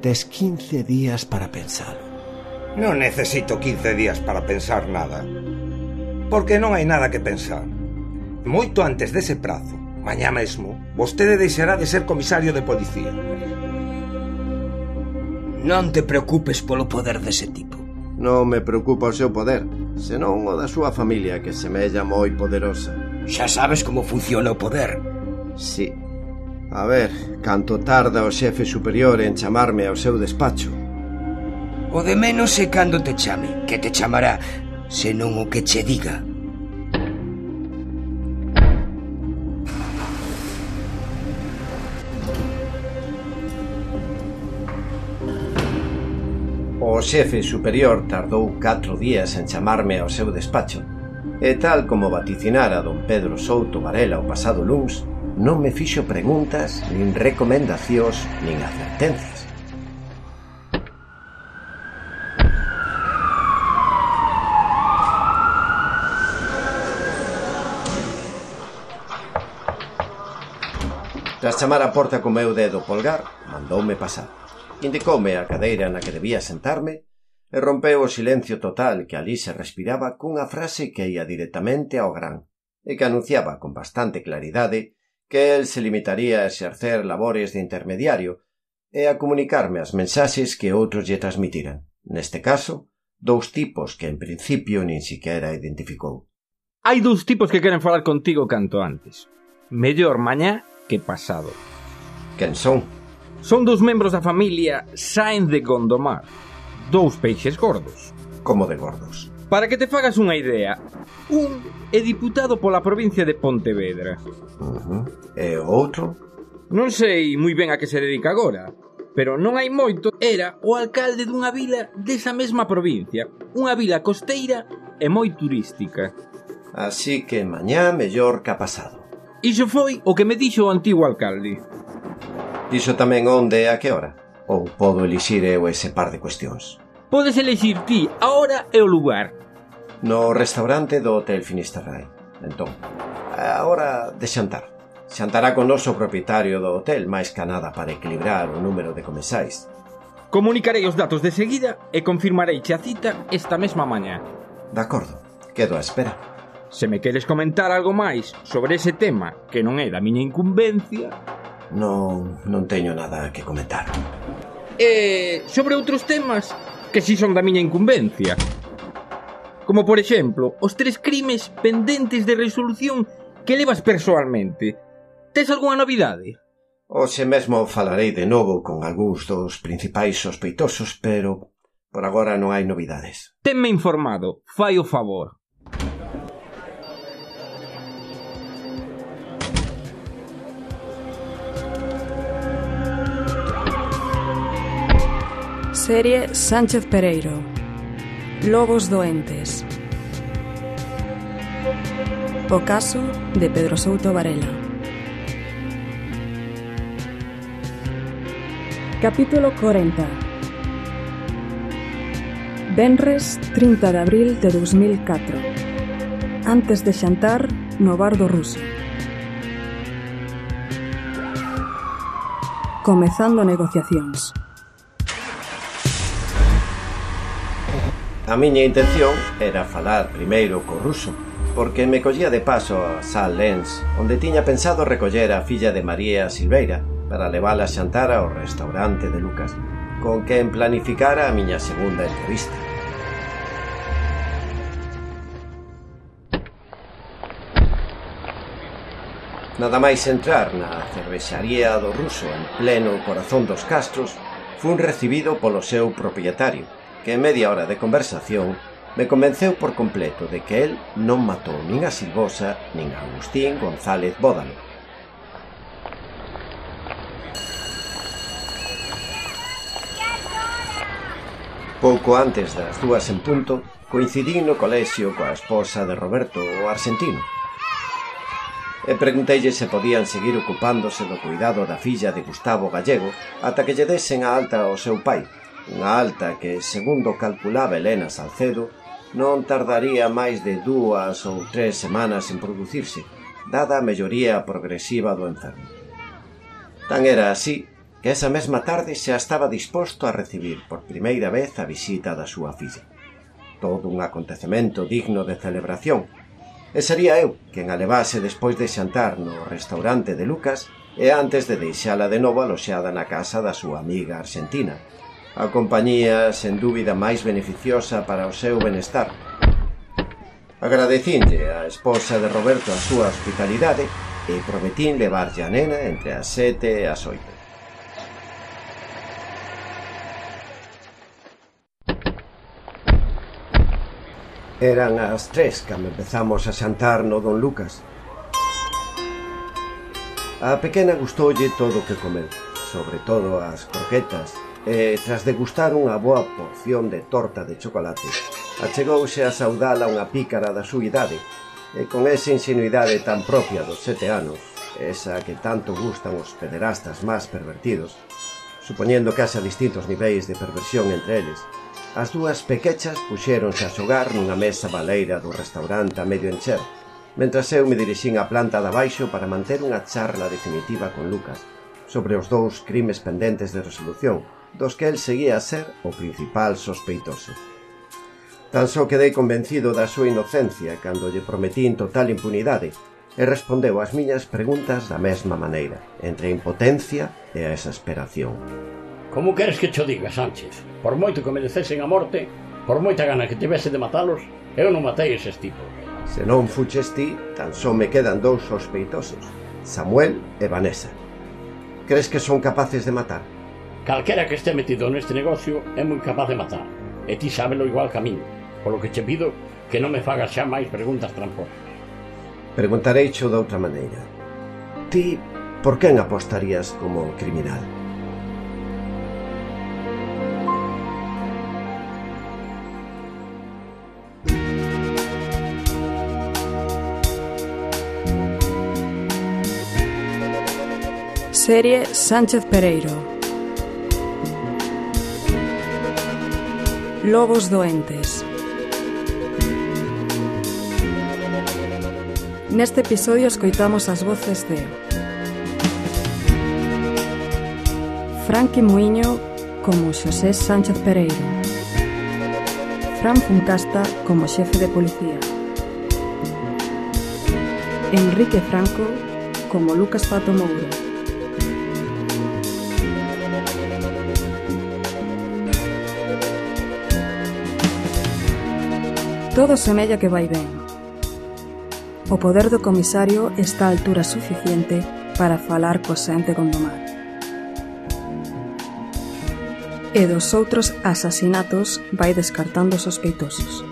Tes 15 días para pensalo. Non necesito 15 días para pensar nada. Porque non hai nada que pensar. Moito antes dese prazo, mañá mesmo, vostede deixará de ser comisario de policía. Non te preocupes polo poder dese tipo. Non me preocupa o seu poder, senón o da súa familia, que semella moi poderosa. Xa sabes como funciona o poder. Sí. A ver, canto tarda o xefe superior en chamarme ao seu despacho? O de menos é cando te chame, que te chamará, senón o que che diga. O xefe superior tardou 4 días en chamarme ao seu despacho, e tal como vaticinara don Pedro Souto Varela o pasado luns, non me fixo preguntas, nin recomendacións, nin advertencias. Tras chamar a porta co meu dedo polgar, mandoume pasar. Indicoume a cadeira na que debía sentarme e rompeu o silencio total que ali se respiraba cunha frase que ia directamente ao gran e que anunciaba con bastante claridade que el se limitaría a exercer labores de intermediario e a comunicarme as mensaxes que outros lle transmitiran. Neste caso, 2 tipos que en principio nin siquiera identificou. Hai 2 tipos que queren falar contigo canto antes. Mellor mañá que pasado. Quen son? Son 2 membros da familia Sáenz de Gondomar. 2 peixes gordos. Como de gordos? Para que te fagas unha idea, un é diputado pola provincia de Pontevedra. E o outro? Non sei moi ben a que se dedica agora, pero non hai moito era o alcalde dunha vila desa mesma provincia, unha vila costeira e moi turística. Así que mañá mellor que ha pasado. Iso foi o que me dixo o antigo alcalde. Dixo tamén onde e a que hora? Ou podo elixir eu ese par de cuestións? Podes elixir ti a hora e o lugar. No restaurante do Hotel Finisterrae. Entón, a hora de xantar. Xantará con noso propietario do hotel, máis que nada para equilibrar o número de comensais. Comunicarei os datos de seguida e confirmareiche a cita esta mesma mañá. De acordo, quedo a espera. Se me queres comentar algo máis sobre ese tema que non é da miña incumbencia... Non teño nada que comentar. E sobre outros temas que si son da miña incumbencia. Como por exemplo, os 3 crimes pendentes de resolución que levas persoalmente. Tes algunha novidade? Hoxe mesmo falarei de novo con algúns dos principais sospeitosos, pero por agora non hai novidades. Tenme informado, fai o favor. Serie Sánchez Pereiro. Lobos doentes. O caso de Pedro Souto Varela. Capítulo 40. Venres 30 de abril de 2004. Antes de xantar no bar do Ruso. Comezando negociacións. A miña intención era falar primeiro co Ruso, porque me collía de paso a Sal Lens, onde tiña pensado recoller a filla de María Silveira para levala a xantar ao restaurante de Lucas, con quen planificara a miña segunda entrevista. Nada máis entrar na cervexaría do Ruso en pleno corazón dos Castros, fun recibido polo seu propietario, que en media hora de conversación me convenceu por completo de que el non matou nin a Silvosa nin a Agustín González Bódalo. Pouco antes das 2 en punto, coincidín no colexio coa esposa de Roberto, o arxentino. E pregunteille se podían seguir ocupándose do cuidado da filla de Gustavo Gallego ata que lle desen a alta ao seu pai, unha alta que, segundo calculaba Elena Salcedo, non tardaría máis de 2 ou 3 semanas en producirse, dada a melloría progresiva do enfermo. Tan era así que esa mesma tarde xa estaba disposto a recibir por primeira vez a visita da súa filla. Todo un acontecemento digno de celebración, e sería eu quen a levase despois de xantar no restaurante de Lucas e antes de deixala de novo aloxada na casa da súa amiga argentina. A compañía, sen dúbida, máis beneficiosa para o seu benestar. Agradecinlle á esposa de Roberto a súa hospitalidade e prometín levarlle a nena entre as 7 e as 8. Eran as 3 cando empezamos a xantar no Don Lucas. A pequena gustoulle todo o que comeu, sobre todo as croquetas, e tras degustar unha boa porción de torta de chocolate, achegouse a saudala unha pícara da súa idade, e con esa ingenuidade tan propia dos 7 anos, esa que tanto gustan os pederastas máis pervertidos, supoñendo que haxa distintos niveis de perversión entre eles, as dúas pequechas puxéronse a xogar nunha mesa baleira do restaurante a medio encher, mentras eu me dirixín á planta de abaixo para manter unha charla definitiva con Lucas sobre os dous crimes pendentes de resolución, dos que el seguía a ser o principal sospeitoso. Tan só quedei convencido da súa inocencia cando lle prometín total impunidade e respondeu ás miñas preguntas da mesma maneira, entre a impotencia e a exasperación. Como queres que cho diga, Sánchez? Por moito que merecesen a morte, por moita gana que tivese de matalos, eu non matei eses tipos. Se non fuches ti, tan só me quedan dous sospeitosos, Samuel e Vanessa. Crees que son capaces de matar? Calquera que este metido neste negocio é moi capaz de matar, e ti sábelo igual que a min, polo que che pido que non me fagas xa máis preguntas tramposas. Preguntarei xo de outra maneira. Ti, por quen apostarías como criminal? Serie Sánchez Pereiro. Lobos doentes. Neste episodio escoitamos as voces de Franqui Muiño como Xosé Sánchez Pereiro, Fran Funcasta como xefe de policía, Enrique Franco como Lucas Pato Mouro, todo semella que vai ben. O poder do comisario está a altura suficiente para falar co xente Gondomar. E dos outros asasinatos vai descartando sospeitosos.